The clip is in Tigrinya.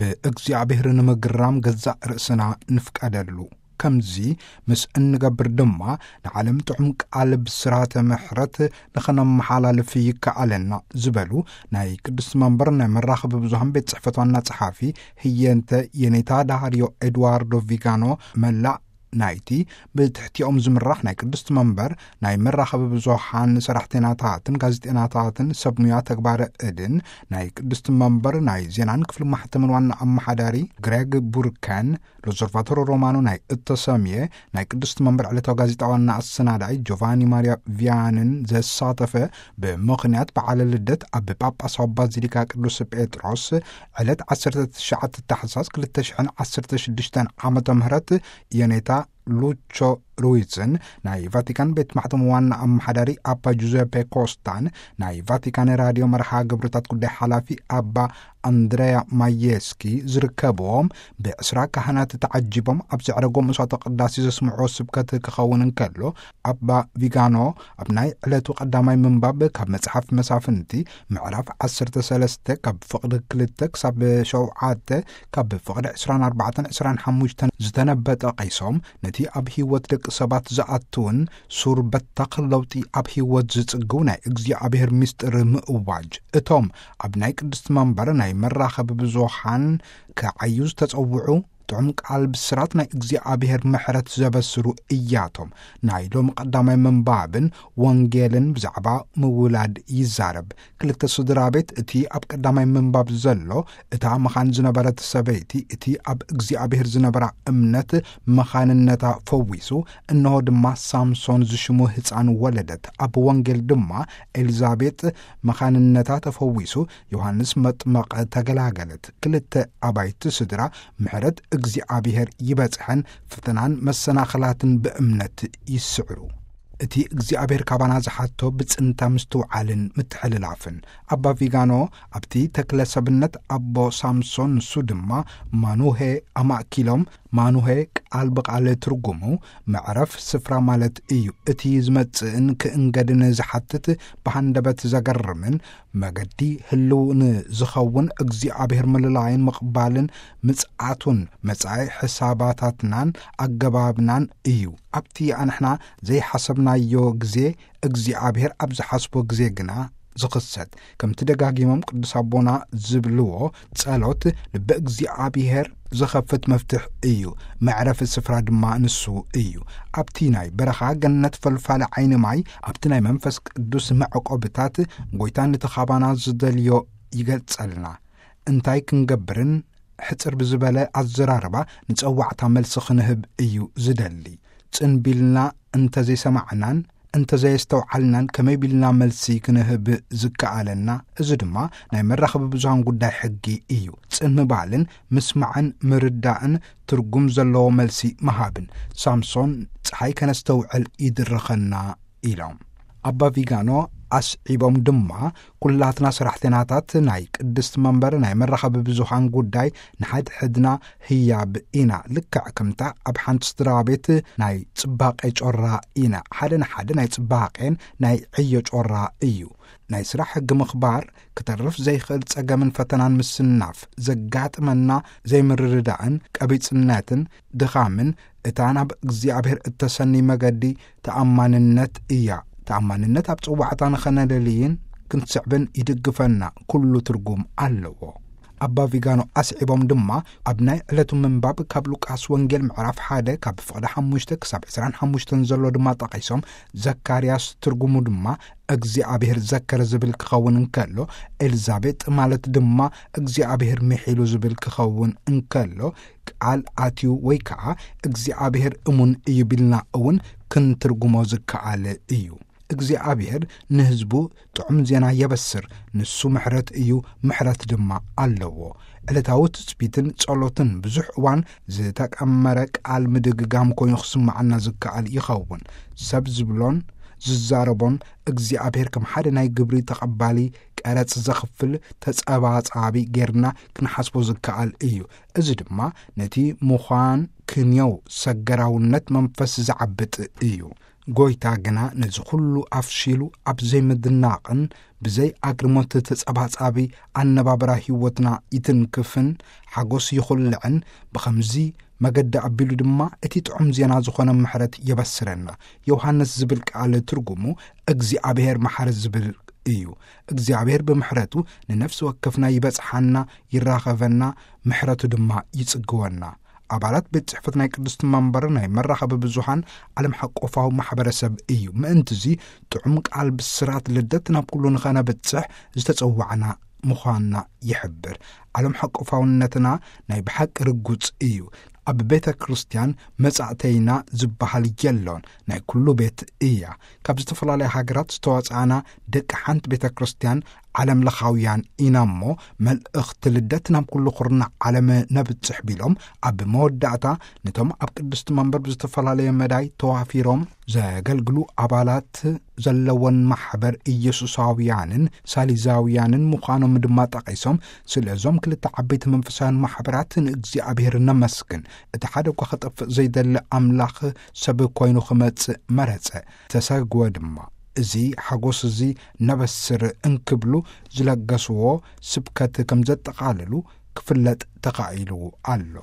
ብእግዚኣብሔር ንምግራም ገዛእ ርእስና ንፍቀደሉ። ከምዚ ምስ እንገብር ድማ ንዓለም ጥዑም ቃል ብስራተ ምሕረት ንኸነመሓላልፍ ይከኣለና ዝበሉ ናይ ቅድስቲ መንበር ናይ መራኸቢ ብዙሃን ቤት ጽሕፈት ዋና ጸሓፊ ህየንተ የኔታ ዳርዮ ኤድዋርዶ ቪጋኖ፣ መላእ ናይቲ ብትሕቲኦም ዝምራሕ ናይ ቅድስቲ መንበር ናይ መራኸቢ ብዙሃን ሰራሕተኛታትን ጋዜጠኛታትን ሰብ ሙያ ተግባረ እድን ናይ ቅድስቲ መንበር ናይ ዜናን ክፍሊ ማሕተምን ዋና ኣመሓዳሪ ግሬግ ቡርከን፣ ሎዘርቫቶሮ ሮማኖ ናይ እተሰምየ ናይ ቅድስቲ መንበር ዕለታዊ ጋዜጣ ዋና ኣሰናዳኢ ጆቫኒ ማሪያ ቪያንን ዘሳተፈ፣ ብምኽንያት በዓለ ልደት ኣብ ጳጳሳዊ ባዚሊካ ቅዱስ ጴጥሮስ ዕለት ዓሰርተ ትሽዓተ ታሕሳስ ክልተ ሽሕን ዓሰርተ ሽዱሽተን ዓመተ ምህረት የኔታ ሉቾ ሩይዝን ናይ ቫቲካን ቤት ማሕተም ዋና ኣመሓዳሪ ኣባ ጁዘፔ ኮስታን ናይ ቫቲካን ራድዮ መርሃ ግብርታት ጉዳይ ሓላፊ ኣባ ኣንድሬያ ማየስኪ ዝርከብዎም ብዕስራ ካህናት ተዓጂቦም ኣብ ዘዕረጎ መስዋዕተ ቅዳሴ ዘስምዕዎ ስብከት ክኸውን እንከሎ፣ ኣባ ቪጋኖ ኣብ ናይ ዕለቱ ቀዳማይ ምንባብ ካብ መጽሓፍ መሳፍንቲ ምዕራፍ ዓሰርተ ሰለስተ ካብ ፍቕዲ ክልተ ክሳብ ሸውዓተ፣ ካብ ፍቕዲ ዕስራን ኣርባዕተን ዕስራን ሓሙሽተን ዝተነበ ጠቒሶም፣ ነቲ ኣብ ህይወት ደቂ ሰባት ዝኣትውን ሱር በታኽ ለውጢ ኣብ ህይወት ዝጽግው ናይ እግዚኣብሔር ምስጢር ምእዋጅ፣ እቶም ኣብ ናይ ቅድስቲ መንበር ናይ መራኸቢ ብዙሃን ክዓዩ ዝተጸውዑ ጥዑም ቃል ብስራት ናይ እግዚኣብሔር ምሕረት ዘበስሩ እያቶም። ናይ ሎም ቀዳማይ ምንባብን ወንጌልን ብዛዕባ ምውላድ ይዛረብ። ክልተ ስድራ ቤት፣ እቲ ኣብ ቀዳማይ ምንባብ ዘሎ፣ እታ መኻን ዝነበረት ሰበይቲ፣ እቲ ኣብ እግዚኣብሔር ዝነበራ እምነት መኻንነታ ፈዊሱ፣ እንሆ ድማ ሳምሶን ዝሽሙ ህፃን ወለደት። ኣብ ወንጌል ድማ ኤልዛቤጥ መኻንነታ ተፈዊሱ፣ ዮሃንስ መጥመቐ ተገላገለት። ክልተ ኣባይቲ ስድራ ምሕረት እግዚኣብሔር ይበጽሐን ፈተናን መሰናኽላትን ብእምነት ይስዕሩ። እቲ እግዚኣብሔር ካባና ዝሓቶ ብጽንታ ምስትውዓልን ምትሕልላፍን። ኣባ ቪጋኖ ኣብቲ ተክለ ሰብነት ኣቦ ሳምሶን፣ ንሱ ድማ ማኑሄ ኣማእኪሎም። ማኑሄ ቃል ብቃል ትርጉሙ መዕረፍ ስፍራ ማለት እዩ። እቲ ዝመጽእን ክእንገድን ዝሓትት ብሃንደበት ዘገርምን መገዲ ህልው ንዝኸውን እግዚኣብሔር ምልላይን ምቕባልን ምጽኣቱን መጻኢ ሕሳባታትናን ኣገባብናን እዩ። ኣብቲ ኣንሕና ዘይሓሰብናዮ ግዜ እግዚኣብሔር ኣብ ዝሓስቦ ግዜ ግና ዝኽሰት። ከምቲ ደጋጊሞም ቅዱስ ኣቦና ዝብልዎ፣ ጸሎት ልበ እግዚኣብሔር ዝኸፍት መፍትሕ እዩ፣ መዕረፊ ስፍራ ድማ ንሱ እዩ። ኣብቲ ናይ በረኻ ገነት ፈልፋሊ ዓይኒ ማይ፣ ኣብቲ ናይ መንፈስ ቅዱስ መዕቆብታት፣ ጎይታ ነቲ ካባና ዝደልዮ ይገልጸልና። እንታይ ክንገብርን ሕጽር ብዝበለ ኣዘራርባ ንጸዋዕታ መልሲ ክንህብ እዩ ዝደሊ። ጽን ቢልና እንተዘይሰማዕናን እንተዘየስተውዓልናን ከመይ ቢልና መልሲ ክንህብ ዝከኣለና? እዚ ድማ ናይ መራኸቢ ብዙሃን ጉዳይ ሕጊ እዩ። ጽን ምባልን ምስማዕን ምርዳእን ትርጉም ዘለዎ መልሲ ምሃብን። ሳምሶን፣ ጸሓይ ከነስተውዕል ይድርኸና ኢሎም። ኣባ ቪጋኖ ኣስዒቦም ድማ፣ ኩላትና ሰራሕተኛታት ናይ ቅድስቲ መንበር ናይ መራኸቢ ብዙሃን ጉዳይ ንሓድሕድና ህያብ ኢና። ልክዕ ከምታ ኣብ ሓንቲ ስድራ ቤት ናይ ጽባቄ ጮራ ኢና። ሓደ ንሓደ ናይ ጽባቄን ናይ ዕዮ ጮራ እዩ። ናይ ስራሕ ሕጊ ምኽባር፣ ክተርፍ ዘይኽእል ጸገምን ፈተናን ምስናፍ፣ ዘጋጥመና ዘይምርድዳእን ቀቢጽነትን ድኻምን እታ ናብ እግዚኣብሔር እተሰኒ መገዲ ተኣማንነት እያ። ተኣማንነት ኣብ ጽዋዕታ ንኸነለልይን ክንስዕብን ይድግፈና፣ ኩሉ ትርጉም ኣለዎ። ኣባ ቪጋኖ ኣስዒቦም ድማ፣ ኣብ ናይ ዕለቱ ምንባብ ካብ ሉቃስ ወንጌል ምዕራፍ ሓደ ካብ ፍቕዲ ሓሙሽተ ክሳብ ዕስራን ሓሙሽተን ዘሎ ድማ ጠቒሶም፣ ዘካርያስ ትርጉሙ ድማ እግዚኣብሔር ዘከረ ዝብል ክኸውን እንከሎ፣ ኤልዛቤጥ ማለት ድማ እግዚኣብሔር ምሒሉ ዝብል ክኸውን እንከሎ፣ ቃል ኣትዩ ወይ ከዓ እግዚኣብሔር እሙን እዩ ቢልና እውን ክንትርጉሞ ዝከኣል እዩ። እግዚኣብሔር ንህዝቡ ጥዑም ዜና የበስር። ንሱ ምሕረት እዩ፣ ምሕረት ድማ ኣለዎ። ዕለታዊ ትጽቢትን ጸሎትን ብዙሕ እዋን ዝተቀመረ ቃል ምድግጋም ኮይኑ ክስምዓና ዝከኣል ይኸውን። ሰብ ዝብሎን ዝዛረቦን እግዚኣብሔር ከም ሓደ ናይ ግብሪ ተቐባሊ፣ ቀረጽ ዘኽፍል፣ ተጸባጻቢ ጌርና ክንሓስቦ ዝከኣል እዩ። እዚ ድማ ነቲ ምዃን ክንየው ሰገራውነት መንፈስ ዝዓብጥ እዩ። ጎይታ ግና ነዚ ኩሉ ኣፍሺሉ ኣብ ዘይምድናቕን ብዘይ ኣግርሞት ተጸባጻቢ ኣነባብራ ህይወትና ይትንክፍን ሓጎስ ይኹልዕን ብኸምዚ መገዲ ኣቢሉ ድማ እቲ ጥዑም ዜና ዝኾነ ምሕረት የበስረና። ዮሃንስ ዝብል ቃል ትርጉሙ እግዚኣብሔር መሓሪ ዝብል እዩ። እግዚኣብሔር ብምሕረቱ ንነፍሲ ወከፍና ይበጽሓና፣ ይራኸበና፣ ምሕረቱ ድማ ይጽግወና። ኣባላት ቤት ጽሕፈት ናይ ቅድስቲ መንበር ናይ መራኸቢ ብዙሃን ዓለም ሓቆፋዊ ማሕበረሰብ እዩ። ምእንትዚ ጥዑም ቃል ብስራት ልደት ናብ ኩሉ ንኸነብጽሕ ዝተጸዋዕና ምዃንና ይሕብር። ዓለም ሓቆፋውነትና ናይ ብሓቂ ርጉጽ እዩ። ኣብ ቤተ ክርስቲያን መጻእተይና ዝበሃል የሎን፣ ናይ ኩሉ ቤት እያ። ካብ ዝተፈላለያ ሃገራት ዝተዋጽኣና ደቂ ሓንቲ ቤተ ክርስቲያን ዓለም ለኻውያን ኢና እሞ፣ መልእኽቲ ልደት ናብ ኩሉ ኹርና ዓለም ነብጽሕ ቢሎም፣ ኣብ መወዳእታ ነቶም ኣብ ቅድስቲ መንበር ብዝተፈላለየ መዳይ ተዋፊሮም ዘገልግሉ ኣባላት ዘለወን ማሕበር ኢየሱሳውያንን ሳሊዛውያንን ምዃኖም ድማ ጠቒሶም፣ ስለዞም ክልተ ዓበይቲ መንፈሳውያን ማሕበራት ንእግዚኣብሔር ነመስግን። እቲ ሓደ እኳ ክጠፍእ ዘይደሊ ኣምላኽ ሰብ ኮይኑ ክመጽእ መረጸ፣ ተሰግወ ድማ። እዚ ሓጎስ እዚ ነበስር እንክብሉ ዝለገስዎ ስብከት ከም ዘጠቓልሉ ክፍለጥ ተኻኢሉ ኣሎ።